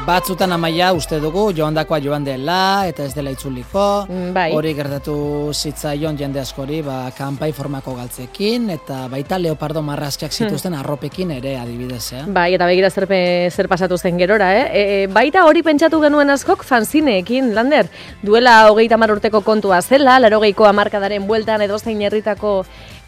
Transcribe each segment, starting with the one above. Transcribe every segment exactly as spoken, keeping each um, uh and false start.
batzutan Amaia uste dugu joandakoa joan dela eta ez dela itzuliko. Bai. Hori gertatu zitzaion jende askori, ba, kanpai formako galtzekin eta baita leopardo marrazkiak zituzten arropekin ere adibidez, eh? Bai, eta begira zer, zer pasatu zen gerora, eh? E, baita hori pentsatu genuen askok fanzineekin, Lander. Duela hogeita hamar urteko kontua zela, laurogeiko hamarkadaren bueltan edozein herritako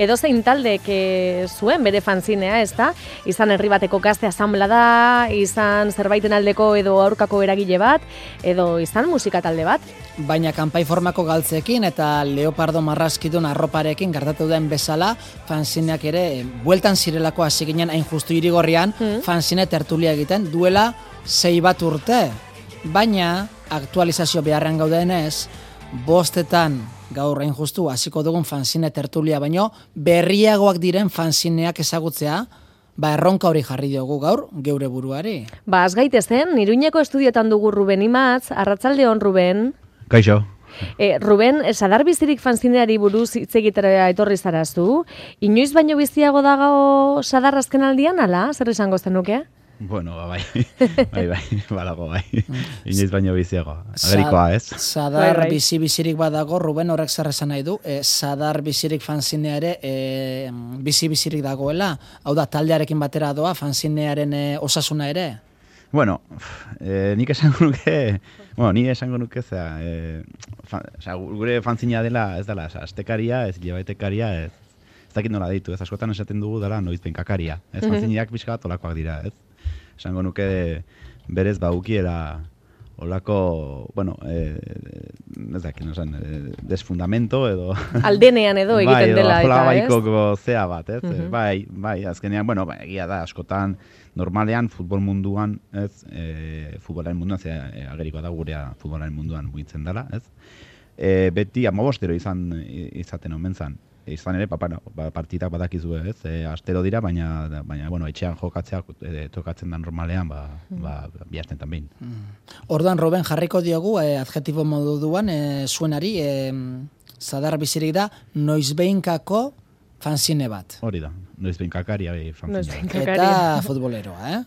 edozein taldek e, zuen bere fanzinea, ez da? Izan herri bateko gazte asanblada, izan zerbaiten aldeko edo aurkako eragile bat, edo izan musika talde bat. Baina kanpai formako galtzekin eta leopardo marrazkidun arroparekin gertatu den bezala, fanzineak ere, bueltan zirelako hasi ginen hain justu irigorrian, mm. fanzine tertulia egiten duela sei bat urte. Baina, aktualizazio beharrean gaudenez, bostetan gaur hain justu hasiko dugun fanzine tertulia, baino berriagoak diren fanzineak ezagutzea, ba erronka hori jarri diogu gaur geure buruari. Ba, az gaitezen, Iruñeko estudiotan dugu Ruben Imatz, arratsaldeon Ruben. Kaixo. E, Ruben, sadar bizirik fanzineari buruz hitz egitera etorri zarazu. Inoiz baino biziago dago sadar azken aldian, ala? Zer esango zenuke? Bueno, bai, bai, bai, balago, bai. Inoiz baino biziago. Agerikoa, ez? Sadar bai, bai. bizi-bizirik badago, Ruben horrek zer esan nahi du, e, sadar bizirik fanzinea ere e, bizi-bizirik dagoela. Hau da, taldearekin batera doa, fanzinearen e, osasuna ere? Bueno, eh, nik esango nuke, bueno, ni esango nuke, zera, eh, fan, oza, gure fanzinea dela, ez dela, astekaria, ez hilabetecaria, ez, ez dakit nola deitu, ez askotan esaten dugu dela noizbenkakaria, ez, fanzineak pixka bat olakoak dira, ez. Esango nuke berez baukiela olako, bueno, eh, ez dakit, no zen, eh, desfundamento edo... Aldenean edo egiten dela, bai, eta ez? baikoko zea bat, ez? Uh-huh. Bai, bai, azkenean, bueno, bai, egia da, askotan, normalean, futbol munduan, ez? E, futbolaren munduan, ze e, agerikoa da gurea futbolaren munduan mugitzen dela, ez? E, beti amabostero izan izaten omen zan. Izan ere, pa, no, partidak badakizue, ez? E, astero dira, baina, baina bueno, etxean jokatzea e, tokatzen da normalean, ba, mm. ba, bihazten tanbein. Mm. Orduan, Ruben, jarriko diogu, e, adjetibo moduan, e, zuenari, e, sadar bizirik da, noizbeinkako fanzine bat. Hori da, noizbeinkakaria fanzine bat. Eta futboleroa, eh?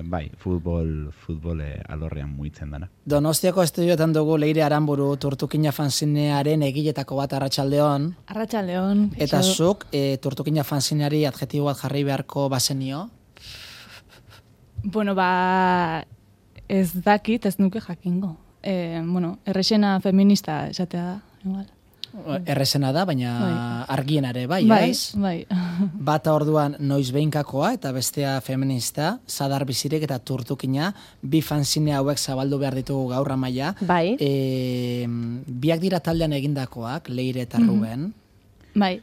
Bai, futbol, futbol alorrean mugitzen dana. Donostiako estudioetan dugu Leire Aranburu Turtukina fanzinearen egiletako bat arratsaldeon. Arratsaldeon. Eta zuk e, Turtukina fanzineari adjetibo bat jarri beharko bazenio? Bueno, ba, ez dakit, ez nuke jakingo. E, bueno, errexena feminista esatea da, igual. Errezena da, baina bai. Argienare, bai, bai ez? Bai, Bata orduan noizbeinkakoa eta bestea feminista, sadar bizirik eta turtukina, bi fanzine hauek zabaldu behar ditugu gaur Amaia. Bai. E, biak dira taldean egindakoak, Leire eta Ruben. Bai,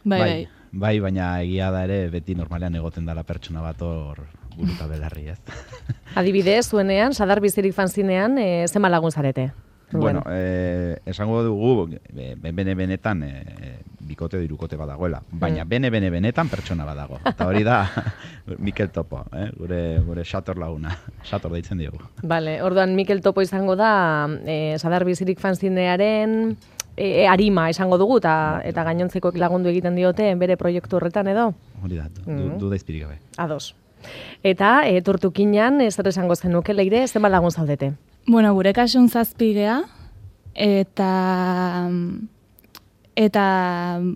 bai, bai. Bai, baina egia da ere beti normalean egoten dela pertsona bat hor buruta belarri, ez? Adibidez, zuenean, sadar bizirik fanzinean, e, zenba lagun zarete? Bueno, eh, esango dugu, bene-benetan eh, bikote dirukote badagoela, baina bene-bene-benetan pertsona badago. Eta hori da Mikel Topo, eh? gure, gure Xator laguna, Xator deitzen diogu. Vale, orduan Mikel Topo izango da, eh, sadar bizirik fanzinearen e, arima esango dugu, eta, eta gainontzekoek lagundu egiten diote bere proiektu horretan edo? Hori da, du, du da izpirik gabe. Ados. Eta e, Turtukinan, ez zer esango zenuke, Leire, zenbat lagun zaudete? Bueno, gure kasun zazpigea, eta, eta,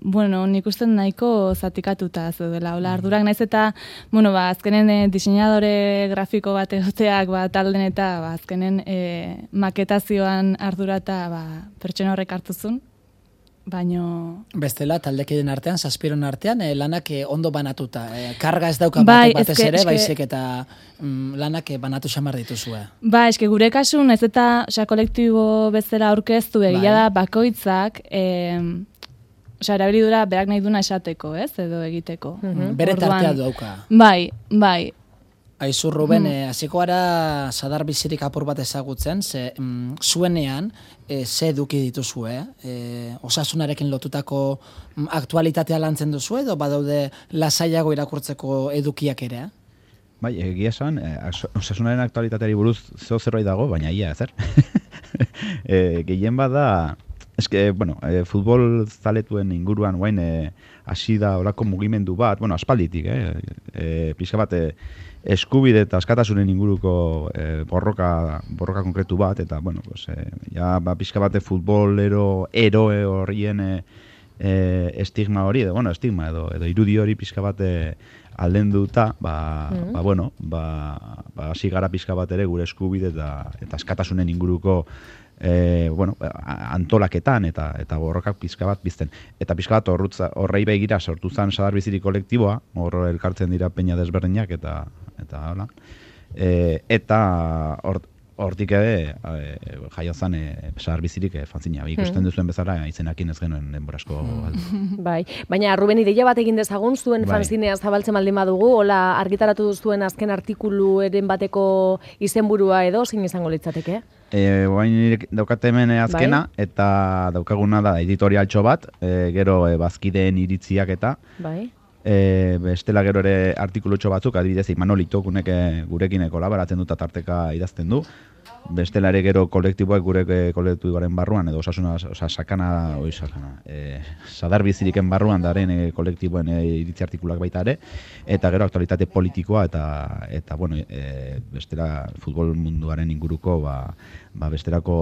bueno, nik uste nahiko zatikatuta zeudela. Ola, ardurak naiz eta, bueno, ba, azkenen e, diseinadore grafiko bat egoteak, ba, talden eta, ba, azkenen e, maketazioan ardurata, ba, pertsona horrek hartuzun. Baino... Bestela, taldekiden artean, zazpiron artean, eh, lanak eh, ondo banatuta. Eh, karga ez dauka bai, batek batez eske, ere, eske... baizik eta mm, lanak eh, banatu xamar dituzue. Ba, eske gure kasun, ez eta oza, kolektibo bezala aurkeztu egia bai. Da bakoitzak, eh, oza, erabilidura berak nahi duna esateko, ez, edo egiteko. Mm-hmm. Bere tartea dauka. Bai, bai. Aizu, Ruben, hmm. hasiko mm. gara sadar bizirik apur bat ezagutzen, ze mm, zuenean, e, ze eduki dituzue, e, osasunarekin lotutako mm, aktualitatea lantzen duzu edo badaude lasaiago irakurtzeko edukiak ere? Bai, egia esan, e, osasunaren aktualitateari buruz zeo zerbait dago, baina ia, zer? e, gehien bada, eske, bueno, e, futbol zaletuen inguruan guain e, hasi da olako mugimendu bat, bueno, aspalditik, eh? E, pixka bat, e, eskubide eta askatasunen inguruko e, borroka, borroka konkretu bat, eta, bueno, pues, e, ja, ba, pixka bate futbolero eroe horrien e, e, estigma hori, edo, bueno, estigma edo, edo irudi hori pixka bate aldenduta, ba, mm-hmm. ba, bueno, ba, ba, hasi gara pixka bat ere gure eskubide eta, eta askatasunen inguruko E, bueno, antolaketan eta eta borrokak pizka bat bizten. Eta pizka bat horrutza, horrei begira sortu zen Sadar Biziri kolektiboa, hor elkartzen dira peña desberdinak eta eta hola. E, eta hor, hortik ere e, jaio zen e, Sadar Bizirik e, fanzina. Ikusten duzuen bezala izenakin ez genuen denborasko. Bai, baina Ruben ideia bat egin dezagun zuen bai. Fanzinea zabaltzen baldin badugu, hola argitaratu duzuen azken artikuluaren bateko izenburua edo zein izango litzateke? E, Oain daukate hemen azkena, bai. Eta daukaguna da editorialtxo bat, e, gero e, bazkideen iritziak eta bai. E, bestela gero ere artikulutxo batzuk, adibidez Imanolito gunek gurekin kolaboratzen dut tarteka idazten du, bestela ere gero kolektiboak gure kolektiboaren barruan, edo osasuna, osa, sakana, oi, sakana, e, Sadar Biziriken barruan daren e, kolektiboen e, iritzi artikulak baita ere, eta gero aktualitate politikoa, eta, eta bueno, e, bestela futbol munduaren inguruko, ba, ba besterako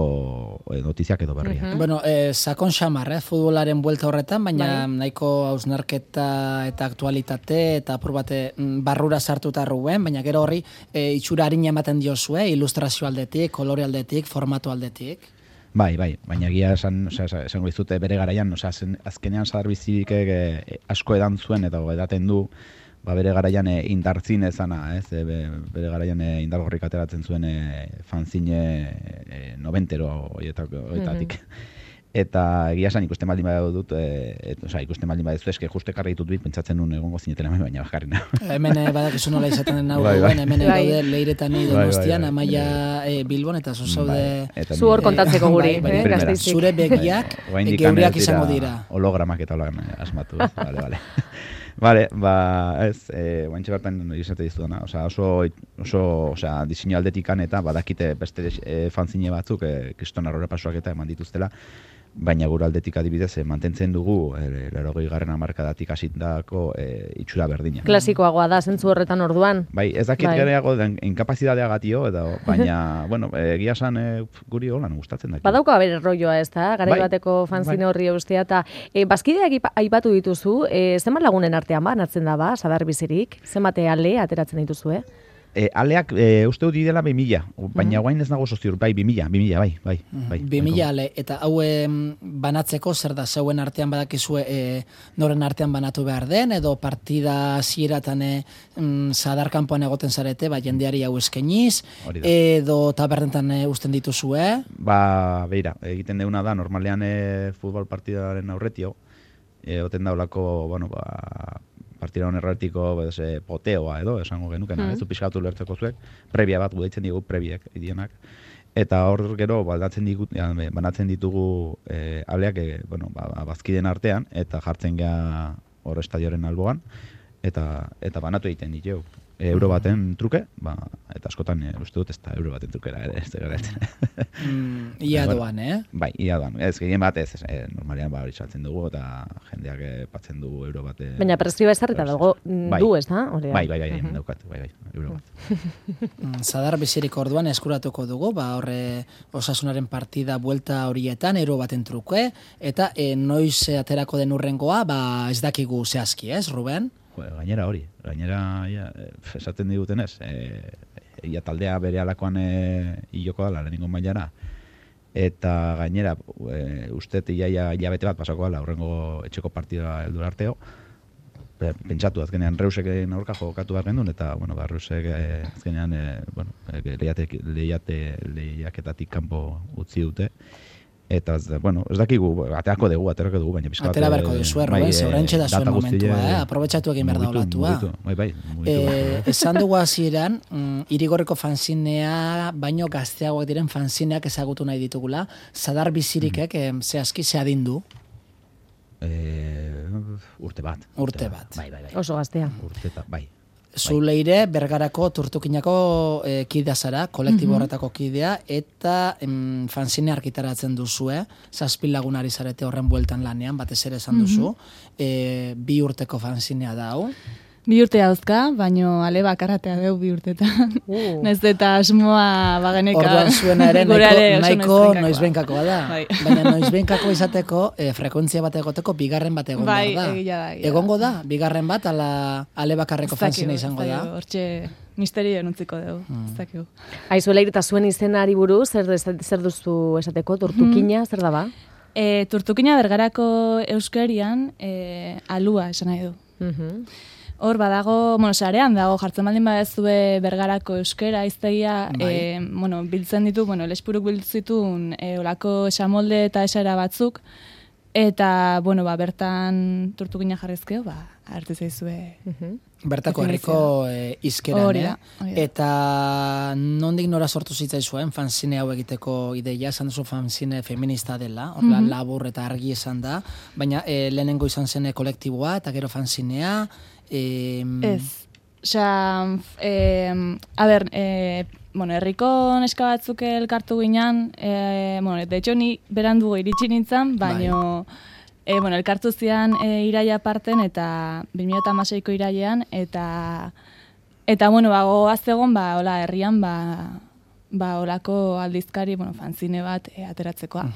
e, notiziak edo berriak. Uh-huh. Bueno, e, sakon xamar, eh, futbolaren buelta horretan, baina bai. Nahiko hausnarketa eta aktualitate, eta apur bate barrura sartuta Ruben, baina gero horri e, itxura harina ematen diozue, ilustrazio aldetik, kolore aldetik, formato aldetik. Bai, bai, baina egia esan, osea, esango dizute bere garaian, osea, azkenean Sadar Bizirik e, asko edan zuen eta edaten du, ba bere garaian e, indartzin ezana, ez? E, bere garaian e, indargorrik ateratzen zuen e, fanzine e, noventero horietatik. Mm-hmm. Eta egia esan ikusten baldin badu dut, e, et, osea, ikusten baldin badu eske juste karri ditut bit, pentsatzen nun egongo zinetela baina bakarrik nago. Hemen badakizu nola izaten den hau, bai, bai. Hemen daude Leiretan ni Donostian, Amaia e, Bilbon eta zu zaude zu hor kontatzeko guri, eh, Gasteizik. Zure begiak geureak izango dira. Hologramak eta holan asmatu, vale, vale. Vale, ba, ez, eh, guantxe bertan izate dizudana, osea, oso, oso, osea, diseinu aldetikan eta badakite beste e, fanzine batzuk, e, kriston arrora pasuak eta eman dituztela, baina gure aldetik adibidez e, mantentzen dugu e, laurogei garren hamarkadatik hasitako e, itxura berdina. Klasikoagoa da, zentzu horretan orduan. Bai, ez dakit bai. Gereago den inkapazitatea gatio, edo, baina, bueno, egia esan e, guri holan gustatzen da. Badauka bere rolloa ez da, garai bai. Bateko fanzine bai. Horri eustea, eta e, bazkideak aipatu dituzu, e, zenbat lagunen artean ba, natzen da ba, Sadar Bizirik, zenbat ale ateratzen dituzu, eh? E, aleak e, uste dut didela bi mila, baina mm-hmm. guain ez nago soziur, bai, bi mila, bi mila, bai, bai. bai bi mila ale, eta hau banatzeko zer da, zeuen artean badakizue e, noren artean banatu behar den, edo partida zieratan e, mm, Sadar kanpoan egoten zarete, ba, jendeari hau eskeniz, edo tabernetan e, usten dituzue? Ba, beira, egiten deuna da, normalean e, futbol partidaren aurretio, egoten da olako, bueno, ba, partida honerratiko e, poteoa edo, esango genukena, mm. ez du pixkatu lertzeko zuek, prebia bat gudaitzen digu, prebiek, idienak. Eta hor gero, baldatzen digu, ja, banatzen ditugu e, aleak, e, bueno, ba, bazkiden artean, eta jartzen geha hor estadioaren alboan, eta, eta banatu egiten ditu. E, euro baten truke, ba, eta askotan e, uste dut ez da euro baten trukera ere, ez da garatzen. Mm, ia doan, eh? Bai, ia doan. Ez, gehien bat ez, e, normalean ba, hori saltzen dugu, eta jendeak patzen dugu euro bate. Baina prezioa ezarrita dago bai. Du, ez da? Bai, bai, bai, uh-huh. daukat, bai, bai, euro bat. Sadar Bizirik orduan eskuratuko dugu, ba, horre Osasunaren partida buelta horietan, euro baten truke, eta e, noiz aterako den urrengoa, ba, ez dakigu zehazki, ez, Ruben? Gainera hori, gainera ja, esaten digutenez, e, ia taldea bere alakoan e, hiloko dala, lehenengo mailara, eta gainera, e, uste iaia hilabete bat pasako dala, horrengo etxeko partida heldur arteo, pentsatu azkenean Reusek aurka jokatu behar gendun, eta, bueno, ba, Reusek e, azkenean, e, bueno, e, lehiate, lehiate, lehiaketatik kanpo utzi dute, eta, bueno, ez dakigu, aterako dugu, aterako dugu, baina pizkat... Atera beharko duzu, Ruben, zeurentxe da zuen momentua, eh? Aprobetxatu egin behar da olatua. Bai, bai, eh, esan dugu hasieran, mm, Irigorreko fanzinea, baino gazteagoak diren fanzineak ezagutu nahi ditugula, Sadar Bizirikek, mm. eh, zehazki, zehadindu? Eh, urte bat. Urte bat. Bai, bai, bai. Oso gaztea. Urte eta, bai. Zu leire Bergarako Turtukinako e, kidea zara, kolektibo horretako kidea, eta em, fanzine argitaratzen duzue, zazpi lagunari zarete horren bueltan lanean, batez ere esan duzu, e, bi urteko fanzinea da hau. Bi urte dauzka, baino ale bakarratea deu bi urtetan. Uh. Naiz eta asmoa bageneka. Orduan zuena ere nahiko, nahiko noizbenkakoa da. Bai. Baina noizbenkako izateko, e, frekuentzia bat egoteko, bigarren bat egon bai, behar da. Egia da, egia Egongo da, bigarren bat, ala ale bakarreko fanzina izango da. Hortxe misterio enuntziko dugu, ez dakigu. Aizu leire eta zuen izenari buruz, zer, zer duzu esateko, Turtukina, zer da ba? E, Turtukina Bergarako euskerian e, alua esan nahi du. Mhm. Hor badago, bueno, sarean dago, jartzen baldin badezue Bergarako euskera iztegia, Bai. e, bueno, biltzen ditu, bueno, lespuruk biltzitun e, olako esamolde eta esara batzuk, eta, bueno, ba, bertan Turtukina jarrizkeo, ba, hartu zaizue. Bertako herriko e, izkeran, Hori da, eh? hori da. Eta nondik nora sortu zitzaizuen fanzine hau egiteko ideia, esan duzu fanzine feminista dela, horrela labur eta argi esan da, baina e, lehenengo izan zen kolektiboa, eta gero fanzinea, e, Ez. Osea, eh, a ber, eh, bueno, herriko neska batzuk elkartu ginen, eh, bueno, de hecho ni berandugo iritsi nintzen, baino eh, bueno, elkartu zian eh, iraia parten eta bi mila hamaseiko irailean eta eta bueno, ba goaz egon ba hola herrian ba ba holako aldizkari, bueno, fanzine bat eh, ateratzekoa.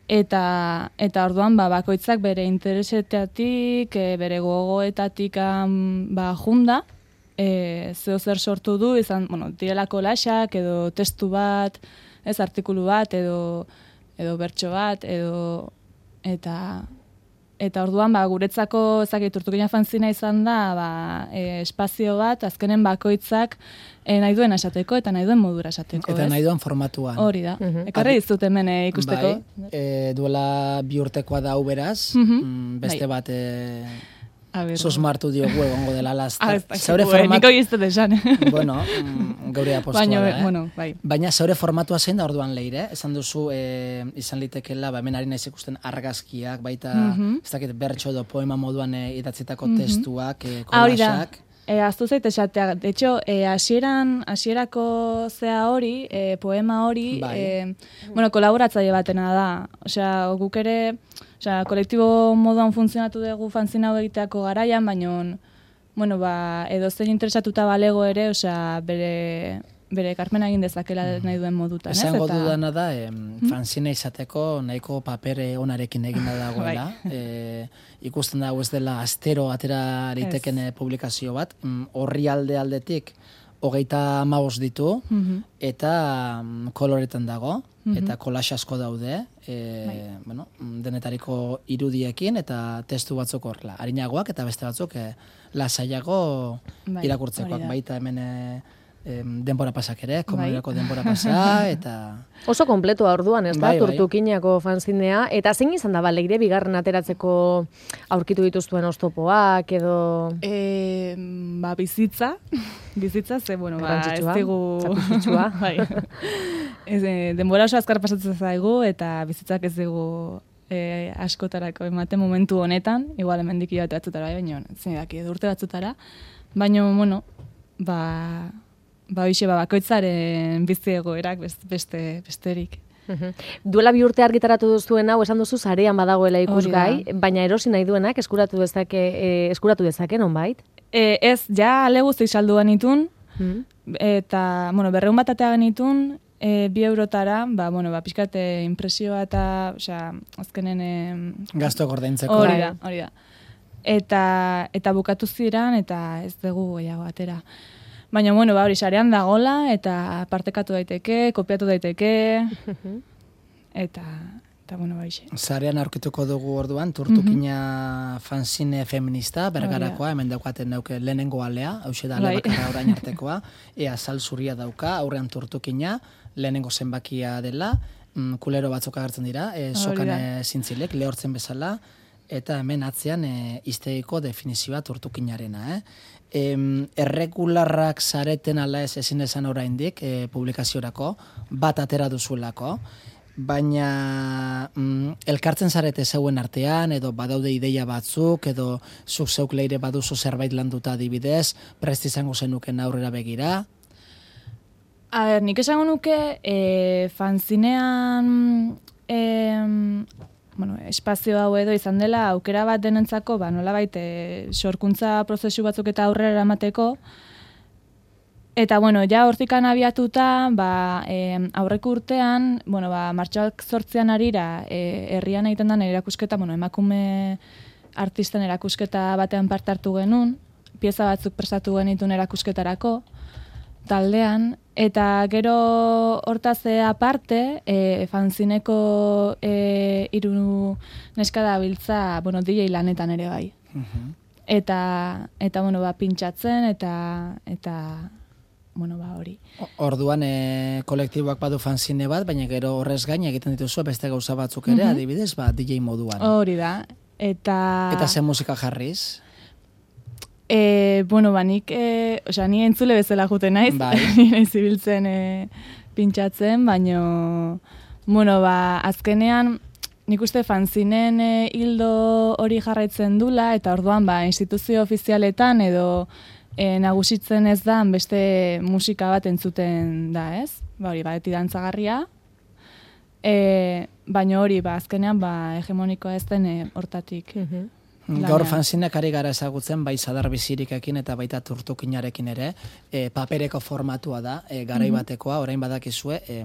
Eta eta orduan ba bakoitzak bere interesetatik, e, bere gogoetatik um, ba junda, eh zeo zer sortu du, izan, bueno, direlako lasak edo testu bat, ez artikulu bat edo edo bertso bat edo eta eta orduan ba guretzako ezakit Turtukina fanzina izan da ba e, espazio bat azkenen bakoitzak e, nahi duen esateko eta nahi duen modura esateko, eta ez? nahi duen formatuan. Hori da. Ekarri dizut hemen e, ikusteko. Bai, e, duela bi urtekoa da hau beraz, Mhm. mm, beste Bai. bat e, A ber. susmartu diogu egongo dela Ah, laster. ez dakit, Zeure eh, format... niko iztet esan. Bueno, mm, geure apostua Baina, da, eh? bueno, bai. Baina zeure formatua zein da orduan leire, esan duzu e, izan litekeela, ba, hemen ari naiz ikusten argazkiak, baita, Mhm. ez dakit, bertso edo poema moduan e, idatzitako testuak, e, Ah, hori da. kolaxak. E, aztu zait esatea. De hecho, e, hasieran, hasierako zea hori, e, poema hori, Bai. e, bueno, kolaboratzaile batena da. Osea, guk ere, osea, kolektibo moduan funtzionatu dugu fanzina hau egiteako garaian, baina, bueno, ba, edo zein interesatuta balego ere, osea, bere bere ekarpena egin dezakela nahi duen modutan, ez? Esango Eta- dudana da, em, fanzine izateko nahiko papere onarekin eginda dagoela. e, ikusten dago ez dela astero atera liteken e, publikazio bat. Mm, Horri alde aldetik hogeita hamabost ditu, eta mm, koloretan dago, eta kolax asko daude, e, bueno, mm, denetariko irudiekin eta testu batzuk horrela. Arinagoak eta beste batzuk e, lasaiago Bai, irakurtzekoak. hori da. Baita hemen e, em, denbora pasak ere, komunerako denbora pasa, eta... Oso kompletua orduan, ez da, Bai, bai. Turtukinako fanzinea. Eta zein izan da, ba, leire bigarren ateratzeko aurkitu dituztuen oztopoak edo... E, ba, bizitza, bizitza, ze, bueno, ba, ez Garrantzitsua, digu... sakrifitsua. bai. Ez, e, denbora oso azkar pasatzen zaigu, eta bizitzak ez digu e, askotarako ematen momentu honetan, igual hemendik hilabete batzutara, baina, zein daki, edo urte batzutara, baina, bueno, ba, ba, hoxe, ba, bakoitzaren bizi egoerak best- beste, besterik. Mhm. Duela bi urte argitaratu duzuen hau, esan duzu sarean badagoela ikusgai, baina erosi nahi duenak eskuratu dezake, e, eskuratu dezake, nonbait? E, ez, ja ale guztik salduan itun, Mhm. eta, bueno, berreun bat atea genitun, e, bi eurotara, ba, bueno, ba, pixkate impresioa eta, osea, azkenen... E, Gasto ordaintzeko. hori da, hori da. Eta, eta bukatu ziren, eta ez dugu gehiago atera. Baina, bueno, ba, hori sarean dagola, eta partekatu daiteke, kopiatu daiteke, eta, eta bueno, ba, ixe. Zarean aurkituko dugu orduan, Turtukina fanzine feminista, Bergarakoa, hemen daukaten dauke lehenengo alea, hause da ale Bai. bakarra orain artekoa, ea sal zuria dauka, aurrean Turtukina, lehenengo zenbakia dela, mm, kulero batzuk agertzen dira, e, sokan da. e, zintzilek, lehortzen bezala, eta hemen atzean e, izteiko definizioa Turtukinarena, eh? Em, erregularrak zareten ala ez ezin esan oraindik e, publikaziorako, bat atera duzuelako, baina mm, elkartzen zarete zeuen artean, edo badaude ideia batzuk, edo zuk zeuk leire baduzu zerbait landuta adibidez, prest izango zenuken aurrera begira? A ber, nik esango nuke, e, fanzinean e, bueno, espazio hau edo izan dela aukera bat denentzako, ba, nolabait e, sorkuntza prozesu batzuk eta aurrera eramateko. Eta, bueno, ja hortikan abiatuta, ba, e, aurreko urtean, bueno, ba, martxoak zortzian arira, e, herrian egiten den erakusketa, bueno, emakume artisten erakusketa batean parte hartu genuen, pieza batzuk prestatu genitun erakusketarako, taldean, eta gero hortaz aparte, e, fanzineko e, hiru neska dabiltza, bueno, D J lanetan ere bai. Mhm. Eta, eta bueno, ba, pintxatzen, eta, eta, bueno, ba, hori. O- Orduan e, kolektiboak badu fanzine bat, baina gero horrez gain egiten dituzu beste gauza batzuk ere, Mhm. adibidez, ba, D J moduan. Hori da. Eta... Eta ze musika jarriz? E, bueno, ba, nik, e, osea, ni entzule bezala juten naiz, Bai. ni naiz ibiltzen e, pintxatzen, baino, bueno, ba, azkenean, nik uste fanzinen e, hildo hori jarraitzen dula, eta orduan, ba, instituzio ofizialetan edo e, nagusitzen ez da, beste musika bat entzuten da, ez? Ba, hori, ba, eti dantzagarria, e, baino hori, ba, azkenean, ba, hegemonikoa ez den e, hortatik. Mhm. Gaur Lanean. fanzinak ari gara ezagutzen, bai Sadar Bizirikekin eta baita Turtukinarekin ere, e, papereko formatua da, e, garai batekoa, orain badakizue, e,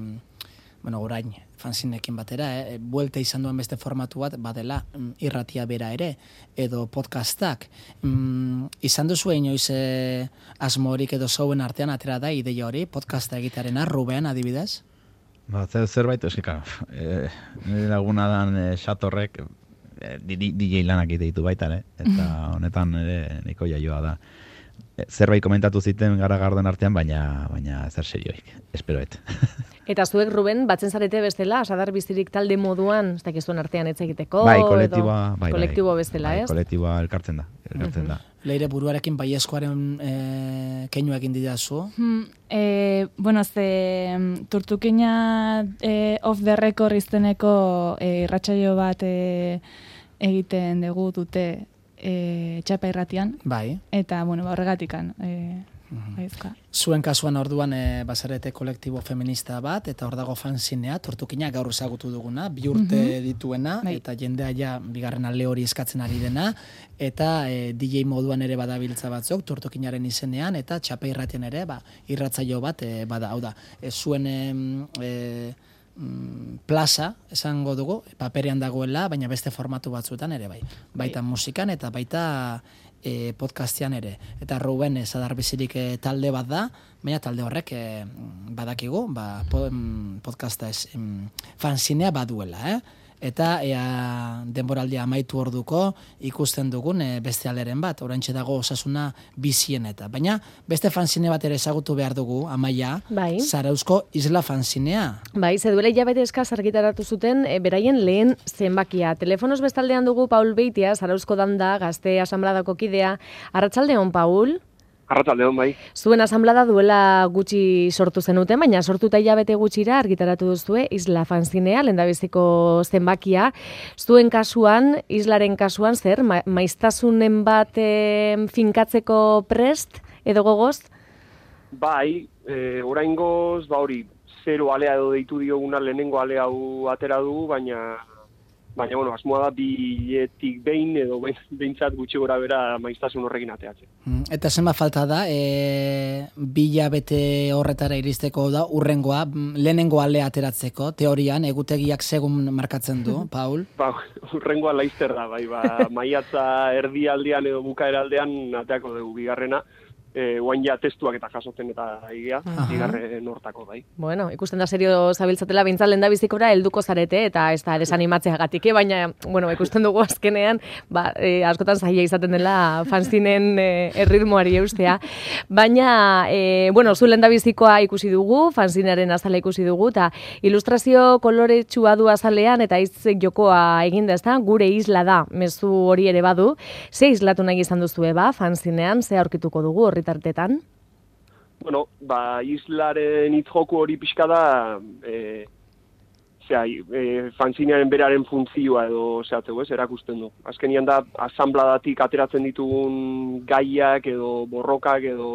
bueno, orain fanzinekin batera, e, buelta izan duen beste formatu bat, badela mm, irratia bera ere, edo podcastak. Mm, izan duzu inoiz e, asmorik edo zauen artean atera da ideia hori, podcasta egitearena, Ruben adibidez? Ba, zer, zerbait, eski, karo, e, nire laguna dan e, xatorrek, e, D J lanak egite ditu baita, eh? Eta honetan ere nahiko jaioa da. E, zerbait komentatu ziten gara garden artean, baina baina zer serioik, esperoet. Eta zuek, Ruben, batzen zarete bestela, Sadar Bizirik talde moduan, ez dakizuen artean hitz egiteko, bai, edo kolektiboa, bai, kolektibo bai, bestela, bai, ez? kolektiboa elkartzen da, elkartzen da. Leire buruarekin baiezkoaren e, keinu egin didazu. Hmm, e, bueno, ze mm, Turtukina e, off the record izeneko e, irratsaio bat e, egiten dugu dute e, txapa irratian, Bai. eta, bueno, ba, horregatikan, e, baizka. Zuen kasuan orduan e, bazarete kolektibo feminista bat, eta hor dago fanzinea, Tortukina gaur ezagutu duguna, bi urte dituena, Bai. eta jendea ja bigarren alde hori eskatzen ari dena, eta e, D J moduan ere badabiltza batzuk, Tortukinaren izenean, eta txapa irratien ere, ba, irratzaio bat e, bada, hau da, e, zuen em, e, mm, plaza, esango dugu, paperean dagoela, baina beste formatu batzuetan ere bai. Baita musikan eta baita e, podcastean ere. Eta Ruben e, Sadar Bizirik e, talde bat da, baina talde horrek e, badakigu, ba, po, em, podcasta ez, em, fanzinea baduela, eh? Eta ea denboraldia amaitu orduko ikusten dugun e, beste alderen bat, oraintxe dago Osasuna bizien eta. Baina beste fanzine bat ere ezagutu behar dugu, Amaia, Bai. Zarauzko Isla fanzinea. Bai, ze duela hilabete eskaz argitaratu zuten e, beraien lehen zenbakia. Telefonos bestaldean dugu Paul Beitia, Zarauzko Danda, Gazte Asanbladako kidea. Arratsaldeon, Paul? Arratsaldeon, bai. Zuen asanblada duela gutxi sortu zenuten, baina sortuta hilabete gutxira argitaratu duzue Isla fanzinea, lehendabiziko zenbakia. Zuen kasuan, Islaren kasuan, zer, ma maiztasunen bat e, finkatzeko prest edo gogoz? Bai, e, oraingoz, ba hori, zero alea edo deitu dioguna lehenengo ale hau atera dugu, baina baina bueno, asmoa da biletik behin edo behintzat gutxi gora bera maiztasun horrekin ateatzen. Mm, Eta zenbat falta da, e, bi hilabete horretara iristeko da, urrengoa, mm, lehenengo alea ateratzeko, teorian, egutegiak segun markatzen du, Paul? Ba, urrengoa laizter da, bai, ba, maiatza erdialdean edo bukaeraldean ateako dugu bigarrena, e, guain ja testuak eta jasotzen eta igea, bigarren hortako, bai. Bueno, ikusten da serio zabiltzatela bintzat lehendabizikora helduko zarete eta ez da desanimatzeagatik, eh? Baina, bueno, ikusten dugu azkenean, ba, e, askotan zaila izaten dela fanzinen e, erritmoari eustea. Baina, e, bueno, zu lehendabizikoa ikusi dugu, fanzinaren azala ikusi dugu, eta ilustrazio koloretsua du azalean eta hitz jokoa eginda, ezta? Gure isla da, mezu hori ere badu. Ze islatu nahi izan duzue, ba, fanzinean, ze aurkituko dugu horri tartetan? Bueno, ba, islaren hitz joku hori pixka da, e, zera, e, fanzinearen beraren funtzioa edo zehatzeu, ez, erakusten du. Azkenian da, asanbladatik ateratzen ditugun gaiak edo borrokak edo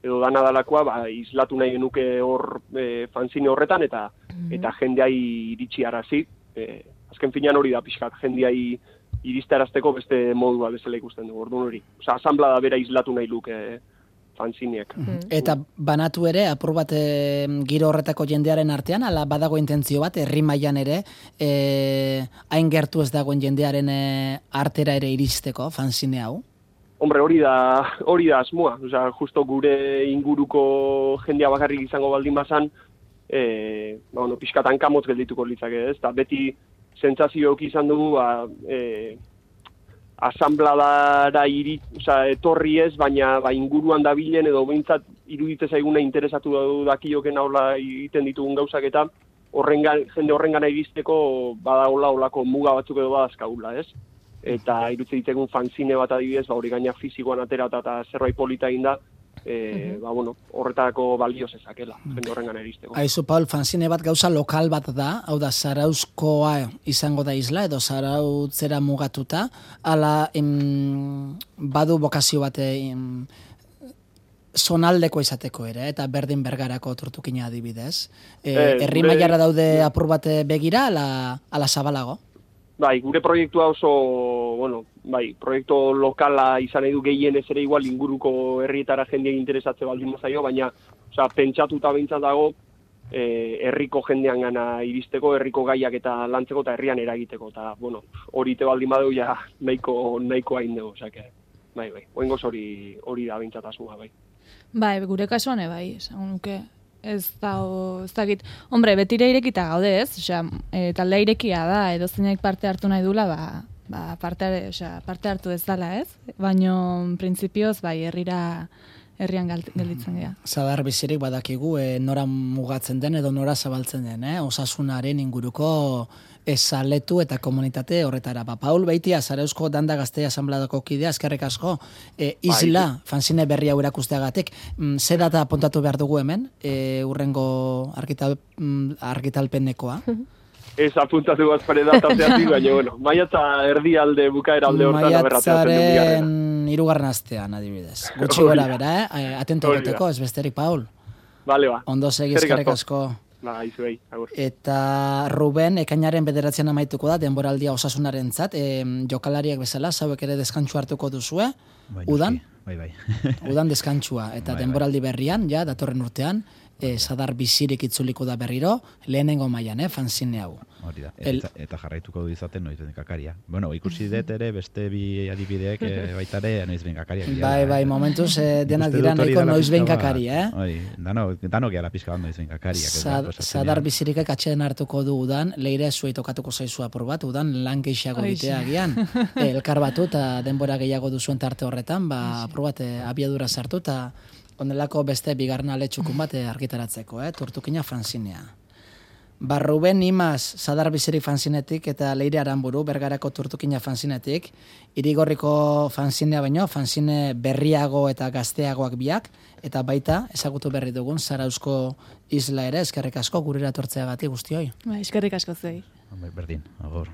edo dana dalakoa, ba, islatu nahi genuke hor e, fanzine horretan, eta mm-hmm. eta jendeai iritsi arazi. E, azken finean hori da pixkat, jendeai iristarazteko beste modua bezala ikusten du, orduan hori. Osa, asanblada bera islatu nahi luke e, fanzineak. Mm-hmm. Eta banatu ere, apur bat e, giro horretako jendearen artean, ala badago intentzio bat, herri mailan ere, e, hain gertu ez dagoen jendearen e, artera ere iristeko fanzine hau? Hombre, hori da, hori da asmoa. Osea, justo gure inguruko jendea bakarrik izango baldin bazan, eh, ba, bueno, pixkatan kamotz geldituko litzake, ez? Ta beti sentsazioak izan dugu, ba, eh, asanbladara iri, osea, etorri ez, baina ba, inguruan dabilen edo behintzat iruditze zaiguna interesatu dakioken aurla egiten ditugun gauzak eta horrengan, jende horrengana iristeko badagola olako muga batzuk edo badazkaula, ez? Eta irutze ditegun fanzine bat adibidez, ba, hori gaina fizikoan aterata eta zerbait polita egin da, e, uh-huh. ba, bueno, horretarako balio zezakela, jende horrengan eristeko. Aizu, Paul, fanzine bat gauza lokal bat da, hau da, Zarauzkoa izango da isla, edo Zarautzera mugatuta, ala em, badu bokazio bat em, zonaldeko izateko ere, eta berdin bergarako tortukina adibidez. E, eh, herri mailara daude apur bat begira, ala, ala zabalago? Bai, gure proiektua oso, bueno, bai, proiektu lokala izan nahi du gehienez ere igual inguruko herrietara jendeak interesatze baldin mazaio, baina, osea, pentsatuta behintzat dago, eh, herriko jendean gana iristeko, herriko gaiak eta lantzeko eta herrian eragiteko, eta, bueno, hori te baldin badeu, ja, nahiko, nahiko hain dugu, osea, bai, bai, oingoz hori, hori da behintzat asmoa, bai. Bai, gure kasuan, bai, esan nuke. Ez da, ez dakit, hombre, betire irekita gaude ez, osea, e, taldea irekia da, edo zeinak parte hartu nahi dula, ba, ba parte, osea, parte hartu ez dala ez, baino, printzipioz, bai, herrira, herrian gelditzen dira. Zadar bizirik badakigu, e, nora mugatzen den edo nora zabaltzen den, eh? Osasunaren inguruko ezaletu eta komunitate horretara. Ba, Paul Beitia, Zarauzko Danda Gaztea Asanbladako kidea, eskerrik asko, e, isla, bai. Fanzine berri hau erakusteagatik, mm, ze data apuntatu behar dugu hemen, e, urrengo argital, mm, argitalpenekoa? Ez apuntatu bazpare data zehatik, baina, bueno, maiatza erdi alde bukaera alde hortan aberratzen du bigarrena. Maiatzaren irugarren astean, adibidez. Gutxi gora bera, eh? Atento egoteko, ez besterik, Paul. Vale, ba. Ondo segi, eskerrik asko. Ba, izuei, agur. Eta Ruben, ekainaren bederatzean amaituko da, denboraldia osasunaren zat, e, jokalariak bezala, zauek ere deskantsu hartuko duzue, bai, udan, bai, bai. udan deskantsua, eta bai, denboraldi berrian, ja, datorren urtean, e, Zadar bizirik itzuliko da berriro, lehenengo mailan, eh, fanzine hau. Hori da, eta, eta jarraituko du izaten noiz benkakaria. Bueno, ikusi dut ere, beste bi adibideek e, baitare noiz benkakaria. Bai, bai, momentuz e, denak dira nahiko noiz benkakari, eh? Oi, dano, dano gehala pizka bat noiz benkakariak. Zad, zadar bizirikek atxeden hartuko du udan, leire zuei tokatuko zaizu apur bat, udan lan geixago ditea agian. E, elkar batu eta denbora gehiago duzuen tarte horretan, ba, apur bat e, abiadura sartu eta ondelako beste bigarren aletxukun bat argitaratzeko, eh? Tortukina fanzinea. Ba, Ruben Imaz, Zadar bizirik fanzinetik eta Leire Aranburu, Bergarako Tortukina fanzinetik, Irigorriko fanzinea baino, fanzine berriago eta gazteagoak biak, eta baita, ezagutu berri dugun, Zarauzko isla ere, eskerrik asko, gurera tortzeagatik guztioi. Ba, eskerrik asko zei. Berdin, agor.